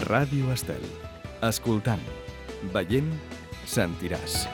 Ràdio Estel. Escoltant, veient, sentiràs.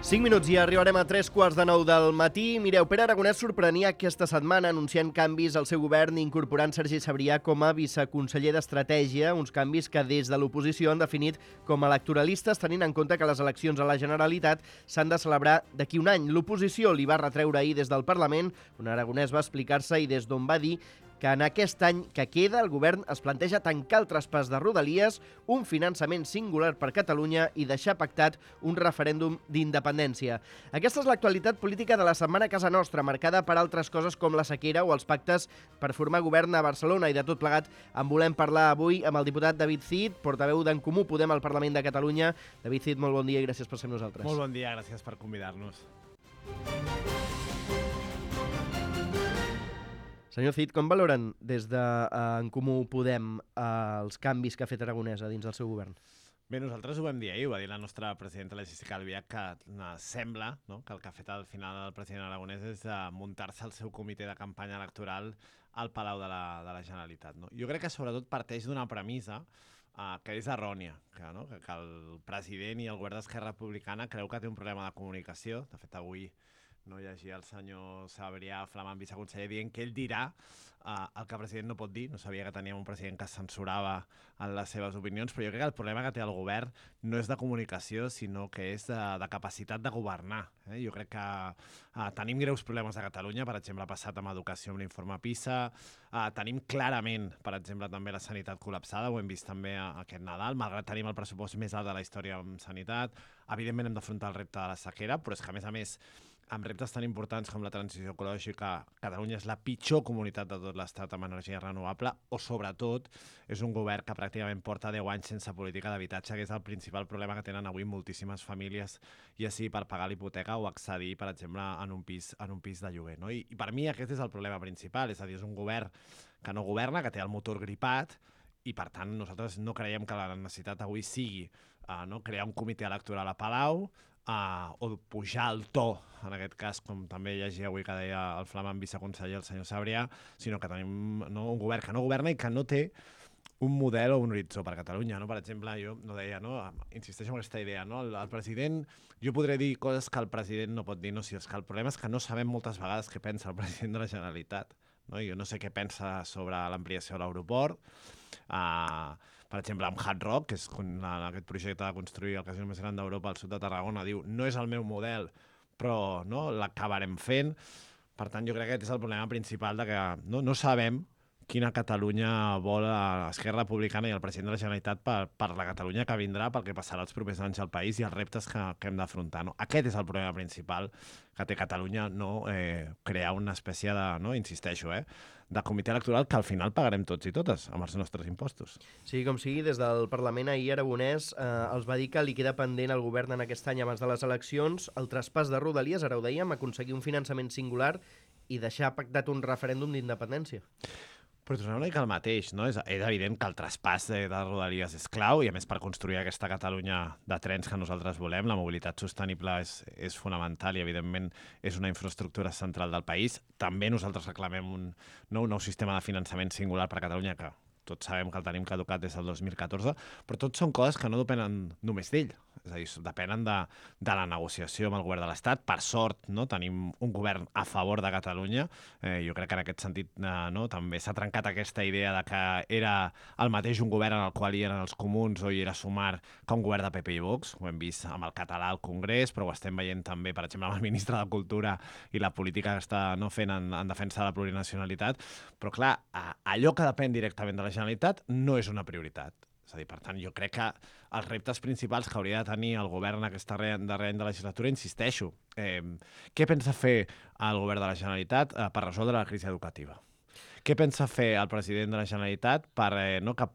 Cinc minuts i arribarem a 3:15 del matí. Mireu, Pere Aragonès sorprenia aquesta setmana anunciant canvis al seu govern incorporant Sergi Sabrià com a viceconseller d'Estratègia, uns canvis que des de l'oposició han definit com a electoralistes, tenint en compte que les eleccions a la Generalitat s'han de celebrar d'aquí un any. L'oposició li va retreure ahir des del Parlament, on Aragonès va explicar-se i des d'on va dir que en aquest any que queda el govern es planteja tancar el traspàs de Rodalies, un finançament singular per Catalunya i deixar pactat un referèndum d'independència. Aquesta és l'actualitat política de la setmana a casa nostra, marcada per altres coses com la sequera o els pactes per formar govern a Barcelona, i de tot plegat en volem parlar avui amb el diputat David Cid, portaveu d'En Comú Podem al Parlament de Catalunya. David Cid, molt bon dia i gràcies per ser amb nosaltres. Molt bon dia, gràcies per convidar-nos. Senyor Cid, com valoren des d'En Comú Podem els canvis que ha fet Aragonès a dins del seu govern? Bé, nosaltres ho vam dir ahir, ho va dir la nostra presidenta, la Jéssica Albiach, que sembla que el que ha fet al final el president Aragonès és muntar-se el seu comitè de campanya electoral al Palau de la Generalitat. Jo crec que sobretot parteix d'una premissa que és errònia, que el president i el govern d'Esquerra Republicana creu que té un problema de comunicació. De fet, avui llegia el senyor Sabrià, flamant viceconseller, dient que ell dirà el que el president no pot dir. No sabia que teníem un president que es censurava en les seves opinions, però jo crec que el problema que té el govern no és de comunicació, sinó que és de capacitat de governar. Jo crec que tenim greus problemes a Catalunya, per exemple, ha passat amb educació amb l'informe PISA, tenim clarament, per exemple, també la sanitat col·lapsada, ho hem vist també aquest Nadal, malgrat tenim el pressupost més alt de la història en sanitat. Evidentment hem d'afrontar el repte de la sequera, però és que, a més, amb reptes tan importants com la transició ecològica, Catalunya és la pitjor comunitat de tot l'Estat amb energia renovable, o sobretot és un govern que pràcticament porta 10 anys sense política d'habitatge, que és el principal problema que tenen avui moltíssimes famílies, ja sigui per pagar l'hipoteca o accedir, per exemple, en un pis de lloguer. I per mi aquest és el problema principal, és a dir, és un govern que no governa, que té el motor gripat, i per tant nosaltres no creiem que la necessitat avui sigui crear un comitè electoral a Palau, o pujar el to, en aquest cas, com també llegia avui que deia el flamant viceconseller, el senyor Sabrià, sinó que tenim un govern que no governa i que no té un model o un horitzó per Catalunya. Per exemple, jo insisteixo en aquesta idea, el president, jo podré dir coses que el president no pot dir, si és que el problema és que no sabem moltes vegades què pensa el president de la Generalitat. Jo no sé què pensa sobre l'ampliació de l'aeroport, per exemple, amb Hard Rock, que és aquest projecte de construir el casino més gran d'Europa al sud de Tarragona, diu, no és el meu model, però l'acabarem fent. Per tant, jo crec que aquest és el problema principal, de que no sabem quina Catalunya vol Esquerra Republicana i el president de la Generalitat per la Catalunya que vindrà, pel que passarà els propers anys al país i els reptes que hem d'afrontar. Aquest és el problema principal que té Catalunya, crear una espècie de, insisteixo, de comitè electoral que al final pagarem tots i totes amb els nostres impostos. Sí, com sigui, des del Parlament ahir Aragonès els va dir que li queda pendent al govern en aquest any abans de les eleccions el traspàs de Rodalies, ara ho dèiem, aconseguir un finançament singular i deixar pactat un referèndum d'independència. Però tornem una mica al mateix, És evident que el traspàs de Rodalies és clau i, a més, per construir aquesta Catalunya de trens que nosaltres volem, la mobilitat sostenible és fonamental i, evidentment, és una infraestructura central del país. També nosaltres reclamem un nou sistema de finançament singular per a Catalunya, que tots sabem que el tenim caducat des del 2014, però tot són coses que no depenen només d'ell. És a dir, depenen de la negociació amb el govern de l'Estat. Per sort, tenim un govern a favor de Catalunya. Jo crec que en aquest sentit també s'ha trencat aquesta idea de que era el mateix un govern en el qual hi eren els comuns o hi era Sumar que un govern de PP i Vox. Ho hem vist amb el català al Congrés, però ho estem veient també, per exemple, amb el ministre de Cultura i la política que està fent en defensa de la plurinacionalitat. Però, clar, allò que depèn directament de la Generalitat no és una prioritat. És a dir, per tant, jo crec que els reptes principals que hauria de tenir el govern en aquest darrer any de legislatura, insisteixo, què pensa fer el govern de la Generalitat per resoldre la crisi educativa? Què pensa fer el president de la Generalitat per que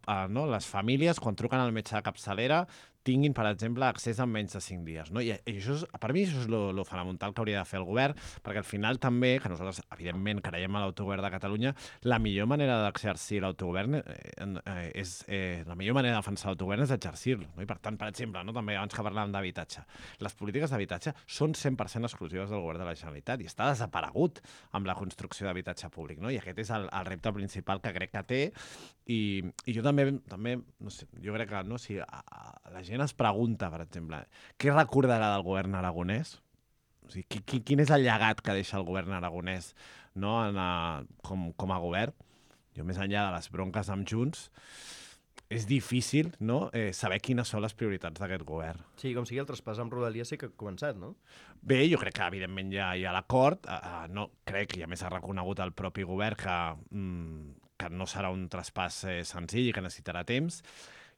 les famílies, quan truquen al metge de capçalera, tinguin, per exemple, accés en menys de 5 dies. No? I això per mi això és lo fonamental que hauria de fer el govern, perquè al final també, que nosaltres evidentment creiem a l'autogovern de Catalunya, la millor manera d'exercir l'autogovern la millor manera de defensar l'autogovern és exercir-lo. No? I per tant, per exemple, no? també abans que parlàvem d'habitatge, les polítiques d'habitatge són 100% exclusives del govern de la Generalitat i està desaparegut amb la construcció d'habitatge públic. No? I aquest és el repte principal que crec que té. I jo també no sé, jo crec que no, si la gent es pregunta, per exemple, què recordarà del govern aragonès? O sigui, quin és el llegat que deixa el govern aragonès, no, com a govern? Jo, més enllà de les bronques amb Junts, és difícil, no, saber quines són les prioritats d'aquest govern. Sí, com sigui, el traspàs amb Rodalies sí que ha començat, no? Bé, jo crec que evidentment ja hi ha l'acord. No, crec que a més ha reconegut el propi govern que no serà un traspàs senzill i que necessitarà temps.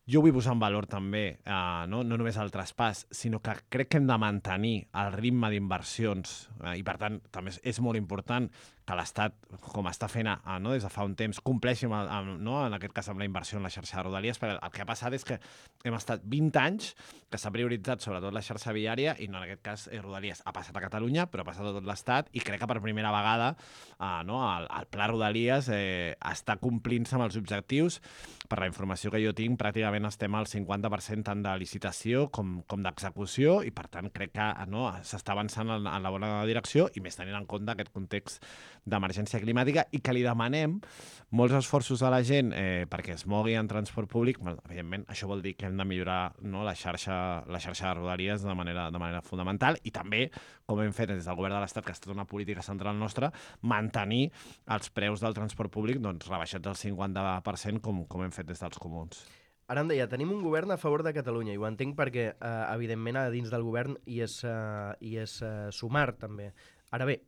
Jo vull posar en valor també, no només el traspàs, sinó que crec que hem de mantenir el ritme d'inversions i, per tant, també és molt important que l'Estat, com està fent no, des de fa un temps, compleixi no, en aquest cas amb la inversió en la xarxa de Rodalies, perquè el que ha passat és que hem estat 20 anys que s'ha prioritzat sobretot la xarxa viària i no, en aquest cas Rodalies. Ha passat a Catalunya, però ha passat a tot l'Estat i crec que per primera vegada no, el pla Rodalies està complint-se amb els objectius. Per la informació que jo tinc, pràcticament estem al 50% tant de licitació com d'execució i, per tant, crec que no, s'està avançant en la bona direcció i més tenint en compte aquest context d'emergència climàtica i que li demanem molts esforços a la gent perquè es mogui en transport públic. Evidentment, això vol dir que hem de millorar no, la xarxa de Rodalies de manera fundamental i també, com hem fet des del govern de l'Estat, que ha estat una política central nostra, mantenir els preus del transport públic doncs, rebaixats al 50% com hem fet des dels comuns. Ara em deia, tenim un govern a favor de Catalunya i ho entenc perquè, evidentment, a dins del govern hi és Sumar, també. Ara bé,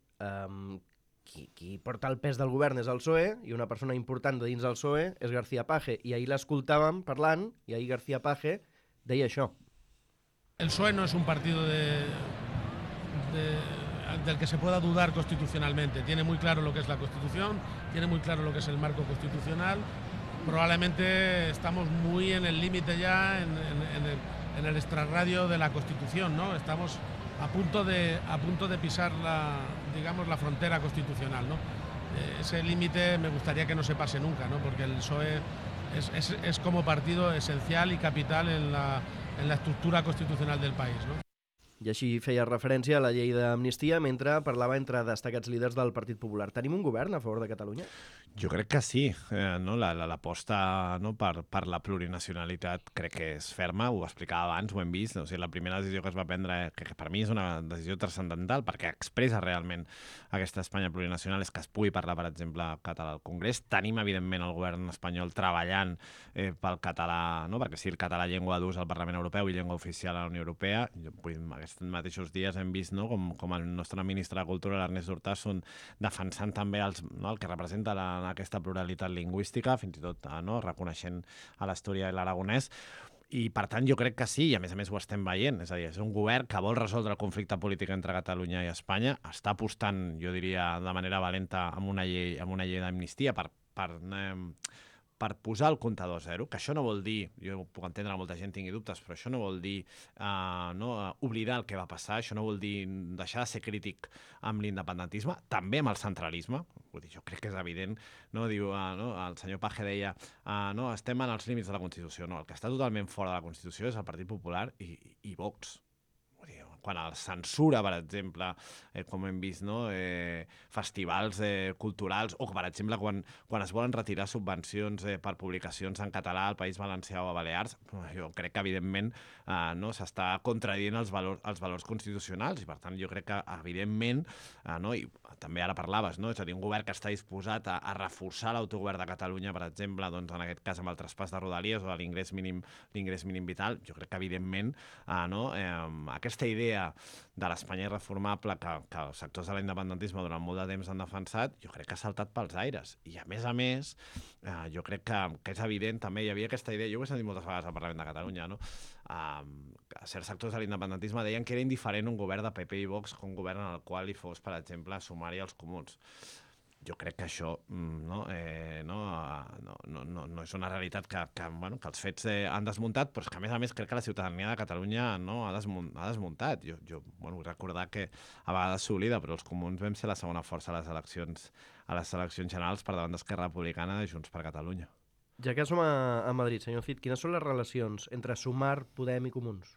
qui porta el pes del govern és el PSOE i una persona important de dins del PSOE és García Page. I ahir l'escoltàvem parlant i ahir García Page deia això. El PSOE no es un partido del que se pueda dudar constitucionalmente. Tiene muy claro lo que es la Constitución, tiene muy claro lo que es el marco constitucional. Probablemente estamos muy en el límite ya, en el extrarradio de la Constitución, ¿no? Estamos a punto de pisar la frontera constitucional, ¿no? Ese límite me gustaría que no se pase nunca, ¿no? Porque el PSOE es como partido esencial y capital en la estructura constitucional del país, ¿no? I així feia referència a la llei d'amnistia mentre parlava entre destacats líders del Partit Popular. Tenim un govern a favor de Catalunya? Jo crec que sí. No? L'aposta no, per la plurinacionalitat crec que és ferma, ho explicava abans, ho hem vist. O sigui, la primera decisió que es va prendre, que per mi és una decisió transcendental, perquè expressa realment aquesta Espanya plurinacional, és que es pugui parlar, per exemple, català al Congrés. Tenim, evidentment, el govern espanyol treballant pel català, no? Perquè sí, el català llengua d'ús al Parlament Europeu i llengua oficial a la Unió Europea. Aquests mateixos dies hem vist no, com el nostre ministre de Cultura, l'Ernest Urtasun, defensant també el que representa aquesta pluralitat lingüística, fins i tot no, reconeixent a l'Astúria i l'Aragonès. I, per tant, jo crec que sí, i a més ho estem veient. És a dir, és un govern que vol resoldre el conflicte polític entre Catalunya i Espanya, està apostant, jo diria, de manera valenta amb una llei d'amnistia per posar el comptador a zero, que això no vol dir, jo puc entendre que molta gent tingui dubtes, però això no vol dir oblidar el que va passar, això no vol dir deixar de ser crític amb l'independentisme, també amb el centralisme. Vull dir, jo crec que és evident, no? Diu, el senyor Page deia no, estem en els límits de la Constitució. No, el que està totalment fora de la Constitució és el Partit Popular i Vox. Quan el censura, per exemple, com hem vist, no? Festivals culturals, o, per exemple, quan es volen retirar subvencions per publicacions en català al País Valencià o a Balears, jo crec que, evidentment, no? S'està contradient els valors constitucionals i, per tant, jo crec que, evidentment, no? I també ara parlaves, no? És a dir, un govern que està disposat a reforçar l'autogovern de Catalunya, per exemple, doncs, en aquest cas amb el traspàs de Rodalies o de l'ingrés mínim vital, jo crec que, evidentment, no? Aquesta idea de l'Espanya irreformable que els sectors de l'independentisme durant molt de temps han defensat, jo crec que ha saltat pels aires. I, a més, jo crec que és evident, també hi havia aquesta idea, jo ho he sentit moltes vegades al Parlament de Catalunya, no? Certs sectors de l'independentisme deien que era indiferent un govern de PP i Vox que un govern en el qual hi fos, per exemple, Sumar i els comuns. jo crec que això no és una realitat que els fets han desmuntat, però és que, a més, crec que la ciutadania de Catalunya ha desmuntat. Jo vull recordar que a vegades s'oblida, però els comuns vam ser la segona força a les eleccions generals per davant d'Esquerra Republicana de Junts per Catalunya. Ja que som a Madrid, senyor Cid, quines són les relacions entre Sumar, Podem i Comuns?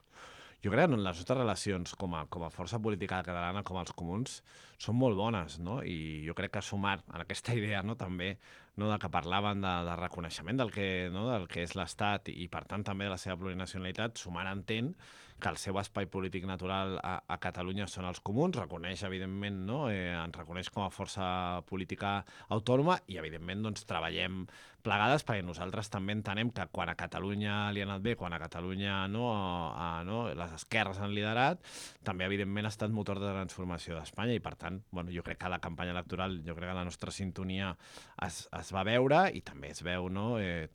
Jo crec que les nostres relacions com a força política catalana, com els comuns, són molt bones, no? I jo crec que Sumar en aquesta idea també de que parlaven de reconeixement del que és l'Estat i per tant també de la seva plurinacionalitat, Sumar entén que el seu espai polític natural a Catalunya són els comuns, reconeix, evidentment, ens reconeix com a força política autònoma i, evidentment, treballem plegades perquè nosaltres també entenem que quan a Catalunya li ha anat bé, quan a Catalunya les esquerres han liderat, també, evidentment, ha estat motor de transformació d'Espanya i, per tant, jo crec que la campanya electoral, jo crec que la nostra sintonia es va veure i també es veu,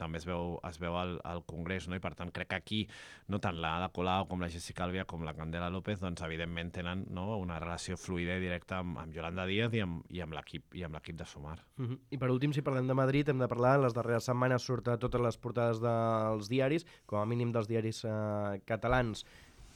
també es veu al Congrés, i, per tant, crec que aquí, tant la Ada Colau com la Jessica Albiach com la Candela López, evidentment tenen una relació fluida i directa amb Yolanda Díaz i amb l'equip de Sumar. I per últim, si parlem de Madrid, hem de parlar, les darreres setmanes surt a totes les portades dels diaris, com a mínim dels diaris catalans,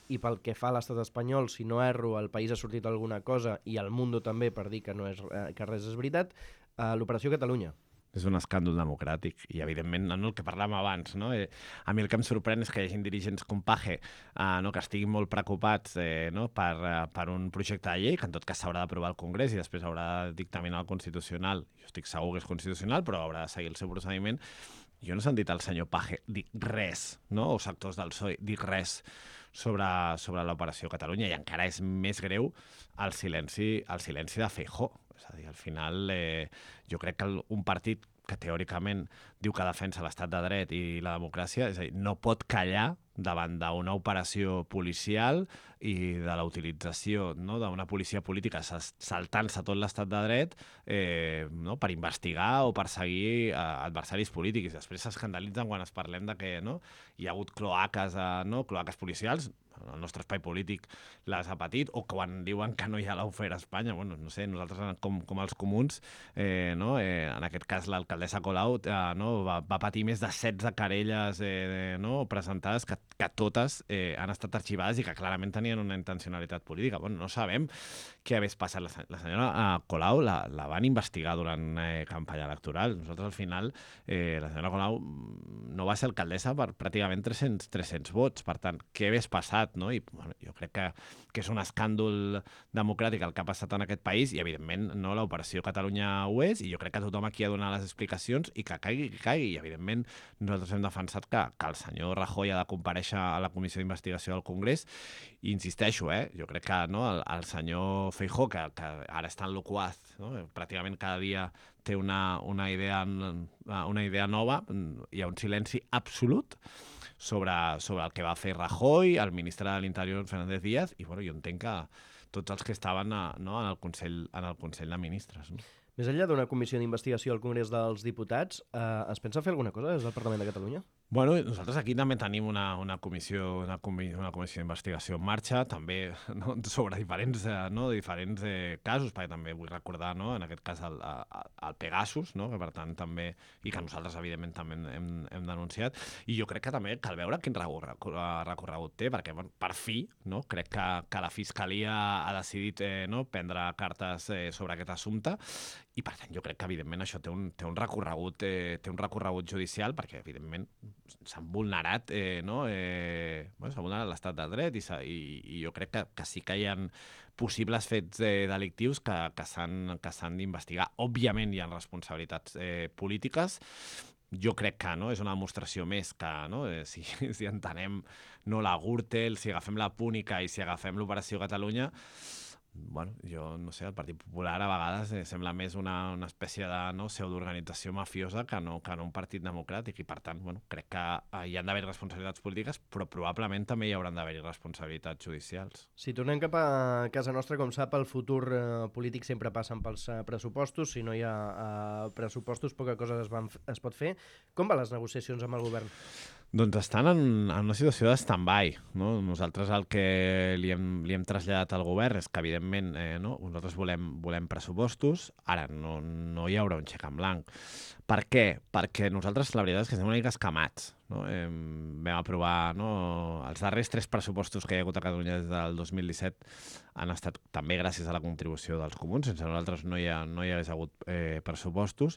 i pel que fa a l'estat espanyol, si no erro, el País ha sortit alguna cosa, i el Mundo també, per dir que res és veritat, l'Operació Catalunya. És un escàndol democràtic i, evidentment, el que parlàvem abans, a mi el que em sorprèn és que hi hagi dirigents com Page que estiguin molt preocupats per un projecte de llei que en tot cas s'haurà d'aprovar al Congrés i després haurà de dictaminar el Constitucional. Jo estic segur que és constitucional, però haurà de seguir el seu procediment. Jo no he sentit el senyor Page dir res, o sectors del PSOE dir res sobre l'Operació Catalunya i encara és més greu el silenci de Feijóo. És a dir, al final jo crec que un partit que teòricament diu que defensa l'estat de dret i la democràcia, és a dir, no pot callar davant d'una operació policial i de la utilització d'una policia política saltant-se tot l'estat de dret per investigar o perseguir adversaris polítics. Després s'escandalitzen quan es parlem de que hi ha hagut cloaques policials, el nostre espai polític les ha patit, o quan diuen que no hi ha lawfare a Espanya. No sé, nosaltres com els comuns, en aquest cas l'alcaldessa Colau va patir més de 16 querelles presentades que totes han estat arxivades i que clarament tenien una intencionalitat política. No sabem què hagués passat. La senyora Colau la van investigar durant campanya electoral. Nosaltres, al final, la senyora Colau no va ser alcaldessa per pràcticament 300 vots. Per tant, què hagués passat? I jo crec que és un escàndol democràtic el que ha passat en aquest país i, evidentment, l'Operació Catalunya ho és i jo crec que tothom aquí ha de donar les explicacions i que caigui. I, evidentment, nosaltres hem defensat que el senyor Rajoy ha de comparèixer a la Comissió d'Investigació del Congrés i insisteixo, jo crec que el senyor Feijóo, que ara està en loquaz, pràcticament cada dia té una idea nova, hi ha un silenci absolut sobre el que va fer Rajoy, el ministre de l'Interior Fernández Díaz, i jo entenc que tots els que estaven en el Consell de Ministres. Més enllà d'una comissió d'investigació al Congrés dels Diputats, es pensa fer alguna cosa des del Parlament de Catalunya? Nosaltres aquí també tenim una comissió d'investigació en marxa, també sobre diferents casos, perquè també vull recordar, en aquest cas, el Pegasus, que per tant també, i que nosaltres, evidentment, també hem denunciat, i jo crec que també cal veure quin recorregut té, perquè per fi crec que la Fiscalia ha decidit prendre cartes sobre aquest assumpte, i per tant jo crec que evidentment això té un recorregut judicial, perquè evidentment s'han vulnerat s'ha vulnerat l'estat de dret i jo crec que sí que hi ha possibles fets delictius que s'han d'investigar. Òbviament hi ha responsabilitats polítiques. Jo crec que és una demostració més que si entenem la Gürtel, si agafem la Púnica i si agafem l'Operació Catalunya, jo no sé, el Partit Popular a vegades sembla més una espècie de pseudoorganització mafiosa que no un partit democràtic i per tant crec que hi han d'haver responsabilitats polítiques però probablement també hi hauran d'haver responsabilitats judicials. Si tornem cap a casa nostra, com sap, el futur polític sempre passen pels pressupostos. Si no hi ha pressupostos, poca cosa es pot fer. Com van les negociacions amb el govern? Doncs estan en una situació de stand-by. No? Nosaltres el que li hem traslladat al govern és que, evidentment, nosaltres volem pressupostos, ara no hi haurà un xec en blanc. Per què? Perquè nosaltres la veritat és que estem una mica escamats. No? Vam aprovar els darrers 3 pressupostos que hi ha hagut a Catalunya des del 2017 han estat també gràcies a la contribució dels comuns. Sense nosaltres no hi hagués hagut pressupostos,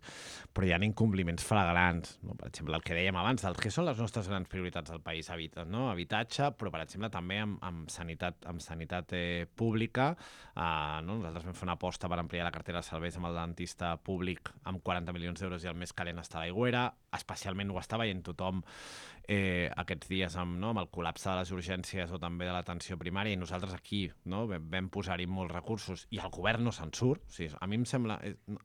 però hi ha incompliments flagrants. No? Per exemple, el que dèiem abans, el que són les nostres grans prioritats del país, habitatge, però per exemple també amb sanitat pública. Nosaltres vam fer una aposta per ampliar la cartera de serveis amb el dentista públic amb 40 milions d'euros i el més calent està a l'Aigüera. Especialment ho està veient tothom aquests dies amb el col·lapse de les urgències o també de l'atenció primària, i nosaltres aquí vam posar-hi molts recursos i el govern no se'n surt. O sigui, a mi em sembla...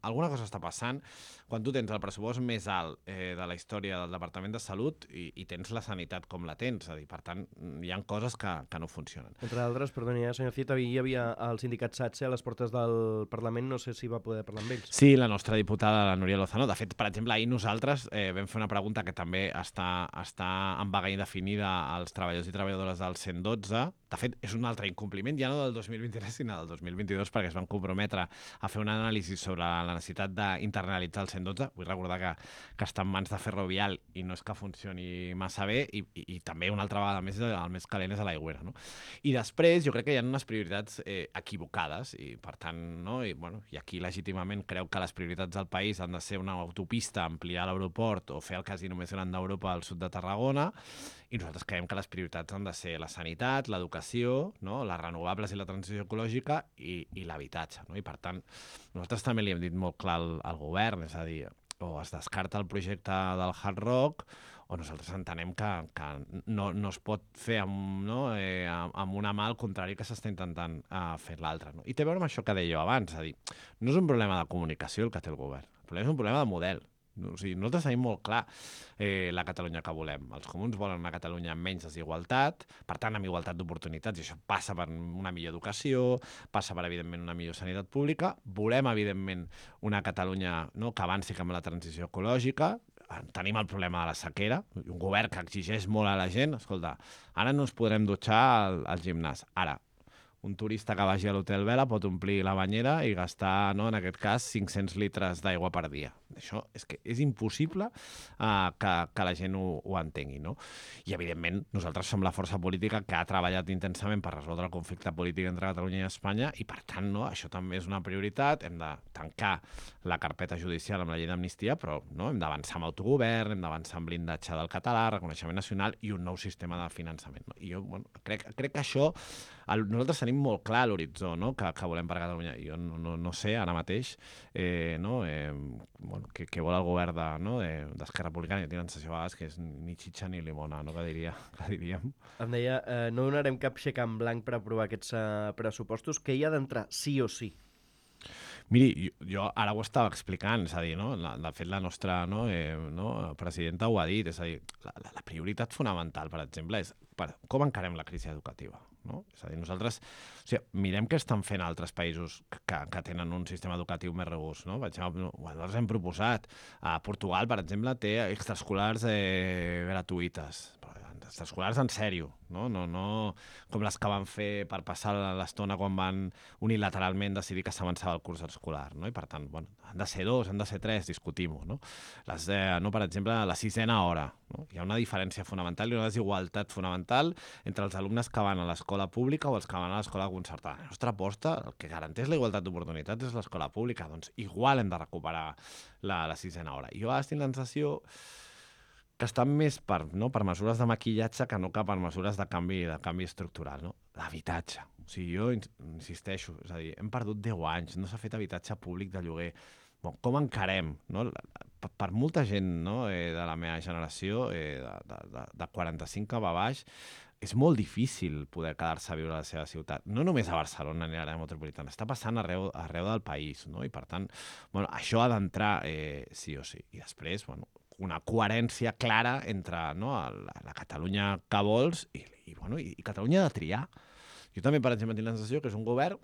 alguna cosa està passant quan tu tens el pressupost més alt de la història del Departament de Salut i tens la sanitat com la tens. És a dir, per tant, hi ha coses que no funcionen. Entre altres, perdoni, senyor Cid, hi havia el sindicat SATSE a les portes del Parlament, no sé si va poder parlar amb ells. Sí, la nostra diputada, la Núria Lozano. De fet, per exemple, ahir nosaltres vam fer una pregunta que també està en vaga indefinida als treballadors i treballadores del 112. De fet, és un altre incompliment, ja no del 2023, sinó del 2022, perquè es van comprometre a fer un anàlisi sobre la necessitat d'internalitzar el 112. Vull recordar que està en mans de Ferrovial i no és que funcioni massa bé, i també una altra vegada més el més calent és a l'Aigüera. No? I després jo crec que hi ha unes prioritats equivocades, i per tant, i aquí legítimament creu que les prioritats del país han de ser una autopista, ampliar l'aeroport o fer el casino més gran d'Europa al sud de Tarragona, i nosaltres creiem que les prioritats han de ser la sanitat, l'educació, les renovables i la transició ecològica i l'habitatge. I per tant, nosaltres també li hem dit molt clar al govern, és a dir, o es descarta el projecte del Hard Rock o nosaltres entenem que no es pot fer amb una mà al contrari que s'està intentant fer l'altra. I té a veure amb això que deia abans, és a dir, no és un problema de comunicació el que té el govern, el problema és un problema de model. O sigui, nosaltres tenim molt clar la Catalunya que volem. Els comuns volen una Catalunya amb menys desigualtat, per tant, amb igualtat d'oportunitats, i això passa per una millor educació, passa per, evidentment, una millor sanitat pública. Volem, evidentment, una Catalunya que avanci cap a la transició ecològica. Tenim el problema de la sequera, un govern que exigeix molt a la gent. Escolta, ara no ens podrem dutxar al gimnàs. Ara, un turista que vagi a l'Hotel Vela pot omplir la banyera i gastar, en aquest cas, 500 litres d'aigua per dia. Això és que és impossible que la gent ho entengui. I, evidentment, nosaltres som la força política que ha treballat intensament per resoldre el conflicte polític entre Catalunya i Espanya i, per tant, això també és una prioritat. Hem de tancar la carpeta judicial amb la llei d'amnistia, però hem d'avançar amb autogovern, hem d'avançar amb blindatge del català, reconeixement nacional i un nou sistema de finançament. I jo crec que això... Nosaltres tenim molt clar l'horitzó que volem per Catalunya. Jo no sé ara mateix què vol el govern d'Esquerra Republicana. Jo tinc la sensació a vegades que és ni xitxa ni limona, que diríem. Em deia, no donarem cap xec en blanc per aprovar aquests pressupostos, que hi ha d'entrar sí o sí. Miri, jo ara ho estava explicant, és a dir, de fet la nostra presidenta ho ha dit, és a dir, la prioritat fonamental, per exemple, és com encarem la crisi educativa. És a dir, nosaltres mirem què estan fent altres països que tenen un sistema educatiu més robust. Per exemple, nosaltres hem proposat, Portugal, per exemple, té extraescolars gratuïtes, extraescolars en sèrio, no com les que van fer per passar l'estona quan van unilateralment decidir que s'avançava el curs escolar. I per tant, han de ser 2, han de ser 3, discutim-ho. Per exemple, la 6ena hora. Hi ha una diferència fonamental i una desigualtat fonamental entre els alumnes que van a l'escola pública o els que van a l'escola concertada. La nostra aposta, el que garanteix la igualtat d'oportunitats és l'escola pública. Doncs igual hem de recuperar la 6ena hora. I jo ara tinc la sensació que estan més per mesures de maquillatge que no per mesures de canvi estructural. L'habitatge. O sigui, jo insisteixo, és a dir, hem perdut 10 anys, no s'ha fet habitatge públic de lloguer. Com encarem? Per molta gent de la meva generació, de 45 cap a baix, és molt difícil poder quedar-se a viure a la seva ciutat. No només a Barcelona ni a l'àrea metropolitana, està passant arreu del país. I per tant, això ha d'entrar sí o sí. I després, una coherència clara entre la Catalunya que vols i Catalunya de triar. Jo també, per exemple, tinc la sensació que és un govern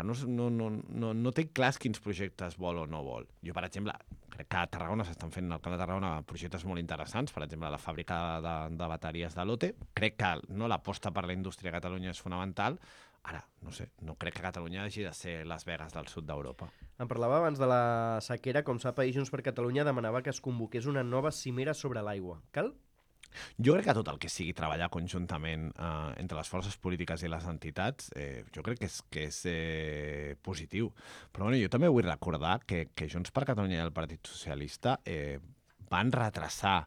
no té clars quins projectes vol o no vol. Jo, per exemple, crec que a Tarragona s'estan fent al Camp de Tarragona projectes molt interessants, per exemple, la fàbrica de bateries de Lotte. Crec que l'aposta per la indústria a Catalunya és fonamental. Ara, no sé, no crec que Catalunya hagi de ser Las Vegas del sud d'Europa. En parlava abans de la sequera, com sap, ahir Junts per Catalunya demanava que es convoqués una nova cimera sobre l'aigua. Cal? Jo crec que tot el que sigui treballar conjuntament entre les forces polítiques i les entitats, jo crec que és positiu. Però jo també vull recordar que Junts per Catalunya i el Partit Socialista van retrasar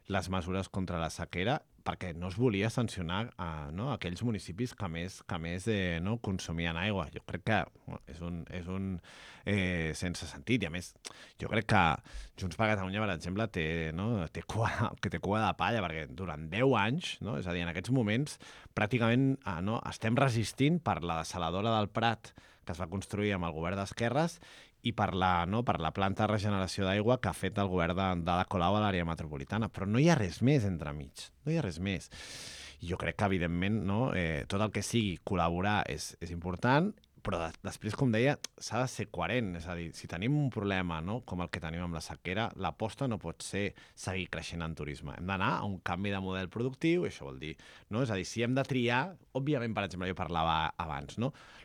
les mesures contra la sequera perquè no es volia sancionar aquells municipis que més consumien aigua. Jo crec que és un sense sentit. I a més, jo crec que Junts per Catalunya, per exemple, té cua de palla, perquè durant 10 anys, és a dir, en aquests moments, pràcticament estem resistint per la dessaladora del Prat, que es va construir amb el govern d'esquerres, i per la planta de regeneració d'aigua que ha fet el govern d'Ada Colau a l'àrea metropolitana. Però no hi ha res més entremig, no hi ha res més. I jo crec que, evidentment, tot el que sigui col·laborar és important, però després, com deia, s'ha de ser coherent. És a dir, si tenim un problema com el que tenim amb la sequera, l'aposta no pot ser seguir creixent en turisme. Hem d'anar a un canvi de model productiu, i això vol dir, és a dir, si hem de triar, òbviament, per exemple, jo parlava abans,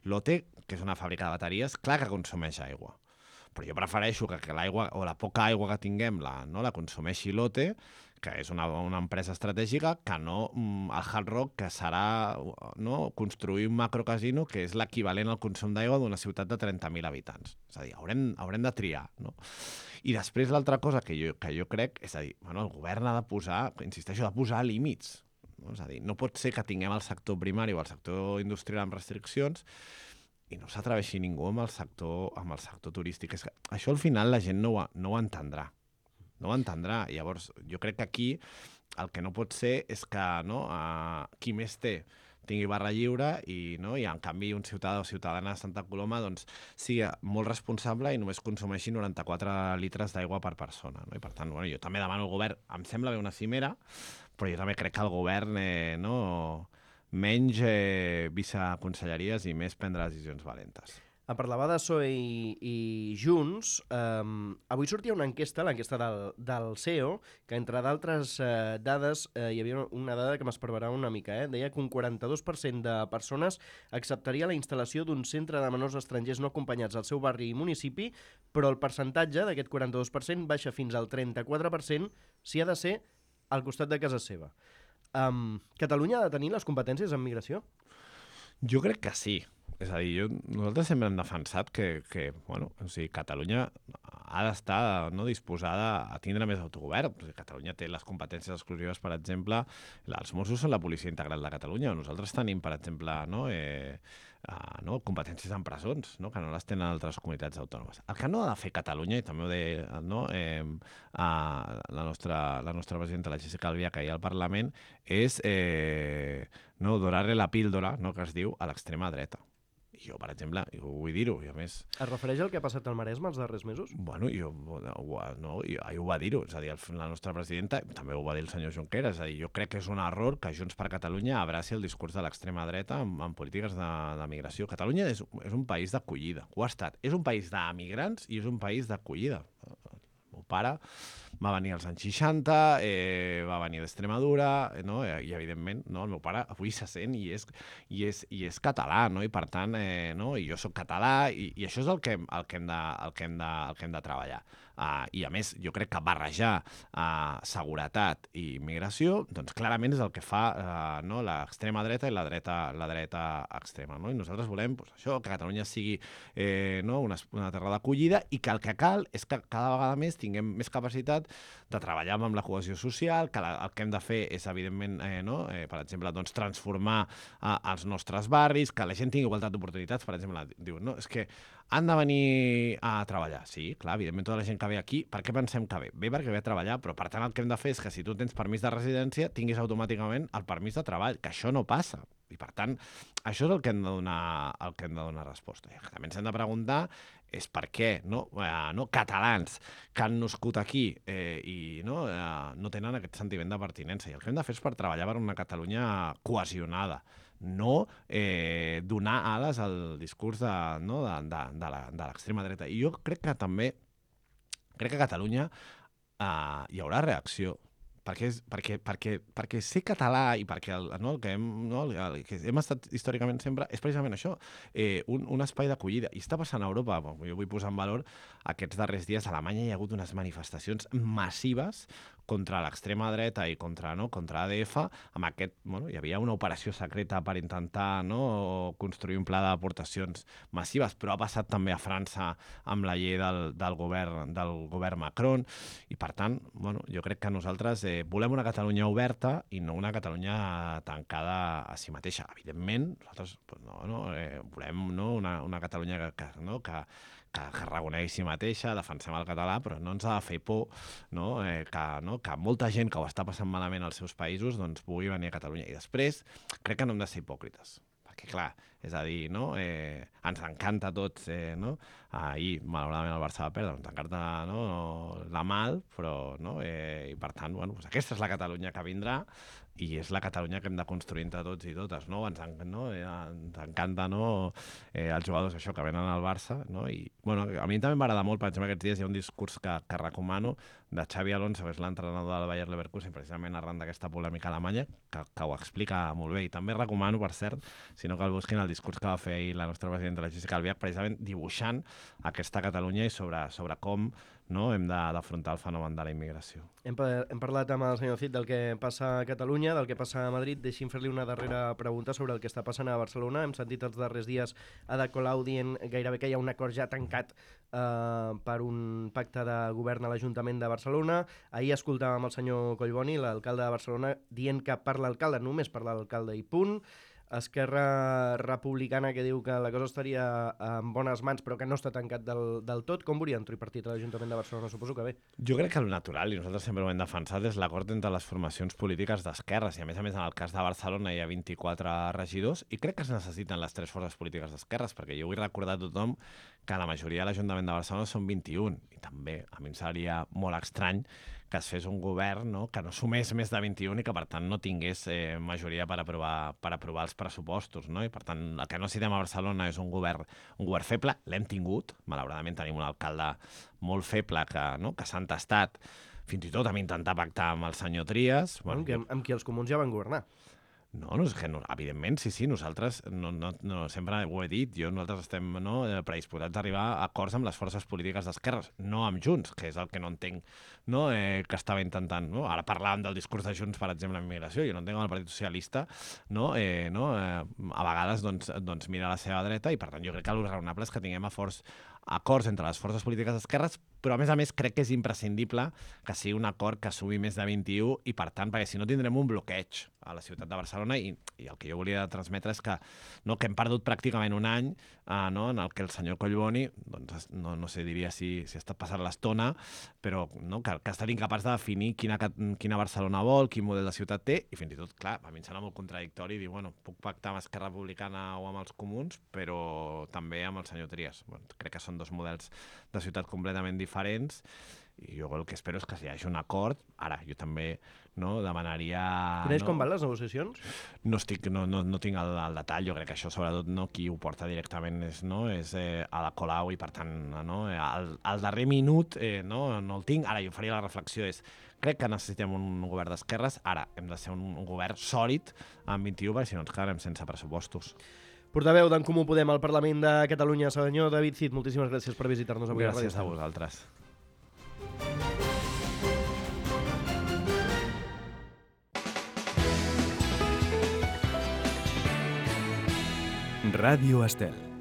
Lotte, que és una fàbrica de bateries, clar que consumeix aigua. Però jo prefereixo que l'aigua o la poca aigua que tinguem la consumeixi Lotte, que és una empresa estratègica, que no el Hard Rock, que serà construir un macrocasino que és l'equivalent al consum d'aigua d'una ciutat de 30.000 habitants. És a dir, haurem de triar. I després l'altra cosa que jo crec, és a dir, el govern ha de posar, insisteixo, de posar límits. És a dir, no pot ser que tinguem el sector primari o el sector industrial amb restriccions i no s'atreveixi ningú amb el sector turístic. Això al final la gent no ho entendrà. No ho entendrà. Llavors, jo crec que aquí el que no pot ser és que qui més té tingui barra lliure i en canvi un ciutadà o ciutadana de Santa Coloma sigui molt responsable i només consumeixi 94 litres d'aigua per persona. I per tant, jo també demano al govern, em sembla bé una cimera, però jo també crec que el govern menys viceconselleries i més prendre decisions valentes. En parlava de PSOE i Junts. Avui sortia una enquesta, l'enquesta del CEO, que entre d'altres dades hi havia una dada que m'esparverà una mica. Deia que un 42% de persones acceptaria la instal·lació d'un centre de menors estrangers no acompanyats al seu barri i municipi, però el percentatge d'aquest 42% baixa fins al 34% si ha de ser al costat de casa seva. Catalunya ha de tenir les competències en migració? Jo crec que sí. És a dir, nosaltres sempre hem defensat que Catalunya ha d'estar disposada a tindre més autogovern. Catalunya té les competències exclusives, per exemple, els Mossos són la policia integral de Catalunya. Nosaltres tenim, per exemple, competències en presons, que no les tenen altres comunitats autònomes. El que no ha de fer Catalunya, i també ho deia la nostra presidenta, la Jéssica Albiach, ahir al Parlament, és donar-li la píldora, que es diu, a l'extrema dreta. Jo, per exemple, vull dir-ho, i a més... Es refereix al que ha passat al Maresme els darrers mesos? Bueno, ahir ho va dir-ho, és a dir, la nostra presidenta, també ho va dir el senyor Junqueras, és a dir, jo crec que és un error que Junts per Catalunya abraci el discurs de l'extrema dreta en polítiques de migració. Catalunya és un país d'acollida, ho ha estat. És un país d'emigrants i és un país d'acollida. El meu pare va venir als anys 60, va venir d'Extremadura, i evidentment el meu pare avui se sent i és català, i per tant, i jo soc català, i això és el que hem de treballar. I a més, jo crec que barrejar seguretat i immigració, doncs clarament és el que fa l'extrema dreta i la dreta extrema. I nosaltres volem això, que Catalunya sigui una terra d'acollida i que el que cal és que cada vegada més tinguem més capacitat de treballar amb la cohesió social, que el que hem de fer és, evidentment, per exemple, transformar els nostres barris, que la gent tingui igualtat d'oportunitats. Per exemple, diu, és que han de venir a treballar. Sí, clar, evidentment, tota la gent que ve aquí, per què pensem que ve? Ve perquè ve a treballar, però per tant el que hem de fer és que si tu tens permís de residència, tinguis automàticament el permís de treball, que això no passa. I per tant, això és el que hem de donar resposta. I també ens hem de preguntar és perquè catalans que han nascut aquí i no tenen aquest sentiment de pertinença. I el que hem de fer és per treballar per una Catalunya cohesionada, no donar ales al discurs de l'extrema dreta. I jo crec que també, crec que a Catalunya hi haurà reacció, perquè ser català i perquè el que hem estat històricament sempre és precisament això, un espai d'acollida. I està passant a Europa. Jo vull posar en valor aquests darrers dies. A Alemanya hi ha hagut unes manifestacions massives contra l'extrema dreta i contra ADF. Hi havia una operació secreta per intentar construir un pla d'aportacions massives, però ha passat també a França amb la llei del govern Macron. I per tant, jo crec que nosaltres volem una Catalunya oberta i no una Catalunya tancada a si mateixa. Evidentment, nosaltres volem una Catalunya que reconegui si mateixa, defensem el català, però no ens ha de fer por que molta gent que ho està passant malament als seus països pugui venir a Catalunya. I després, crec que no hem de ser hipòcrites. Perquè, clar, és a dir, ens encanta a tots, ahir, malauradament, el Barça va perdre, ens encanta la mal, però, i per tant, aquesta és la Catalunya que vindrà i és la Catalunya que hem de construir entre tots i totes, ens encanta, els jugadors això que venen al Barça, i, a mi també m'agrada molt, per exemple, aquests dies hi ha un discurs que recomano de Xavi Alonso, que és l'entrenador del Bayer Leverkusen, precisament arran d'aquesta polèmica alemanya, que ho explica molt bé. I també recomano, per cert, si no cal busquin el discurs que va fer ahir la nostra presidenta, la Jéssica Albiach, precisament dibuixant aquesta Catalunya i sobre com hem d'afrontar el fenomen de la immigració. Hem parlat amb el senyor Cid del que passa a Catalunya, del que passa a Madrid. Deixi'm fer-li una darrera pregunta sobre el que està passant a Barcelona. Hem sentit els darrers dies Ada Colau dient gairebé que hi ha un acord ja tancat per un pacte de govern a l'Ajuntament de Barcelona. Ahir escoltàvem el senyor Collboni, l'alcalde de Barcelona, dient que per l'alcalde, només per l'alcalde i punt. Esquerra Republicana, que diu que la cosa estaria en bones mans però que no està tancat del tot. Com veuria un tripartit a l'Ajuntament de Barcelona? Suposo que bé. Jo crec que el natural, i nosaltres sempre ho hem defensat, és l'acord entre les formacions polítiques d'esquerres. I a més, en el cas de Barcelona hi ha 24 regidors i crec que es necessiten les 3 forces polítiques d'esquerres, perquè jo vull recordar a tothom que la majoria de l'Ajuntament de Barcelona són 21. I també a mi em seria molt estrany que es fes un govern que no sumés més de 21 i que, per tant, no tingués majoria per aprovar els pressupostos. I, per tant, el que no necessitem a Barcelona és un govern feble. L'hem tingut. Malauradament tenim un alcalde molt feble que s'ha entestat fins i tot a intentar pactar amb el senyor Trias. Amb qui els comuns ja van governar. Evidentment, sí, nosaltres sempre ho he dit, nosaltres estem predisposats a arribar a acords amb les forces polítiques d'esquerres, no amb Junts, que és el que no entenc que estava intentant. Ara parlàvem del discurs de Junts, per exemple, en immigració, jo no entenc el Partit Socialista, a vegades mira a la seva dreta i, per tant, jo crec que el raonable és que tinguem acords entre les forces polítiques d'esquerres, però a més crec que és imprescindible que sigui un acord que sumi més de 21 i, per tant, perquè si no tindrem un bloqueig a la ciutat de Barcelona i el que jo volia transmetre és que hem perdut pràcticament un any en el que el senyor Collboni, no sé, diria si ha estat passant l'estona, però que ha estat incapaç de definir quina Barcelona vol, quin model de ciutat té, i fins i tot, clar, a mi em sembla molt contradictori dir, puc pactar amb Esquerra Republicana o amb els comuns, però també amb el senyor Trias. Crec que són 2 models de ciutat completament diferents i jo el que espero és que hi hagi un acord. Ara, jo també demanaria... Coneix com van les negociacions? No tinc el detall, jo crec que això sobretot qui ho porta directament és Ada Colau i per tant al darrer minut no el tinc. Ara jo faria la reflexió crec que necessitem un govern d'esquerres, ara hem de ser un govern sòlid amb 21 perquè si no ens quedarem sense pressupostos. Portaveu d'en Comú Podem al Parlament de Catalunya, senyor David Cid, moltíssimes gràcies per visitar-nos avui. Gràcies a vosaltres. Ràdio Estel.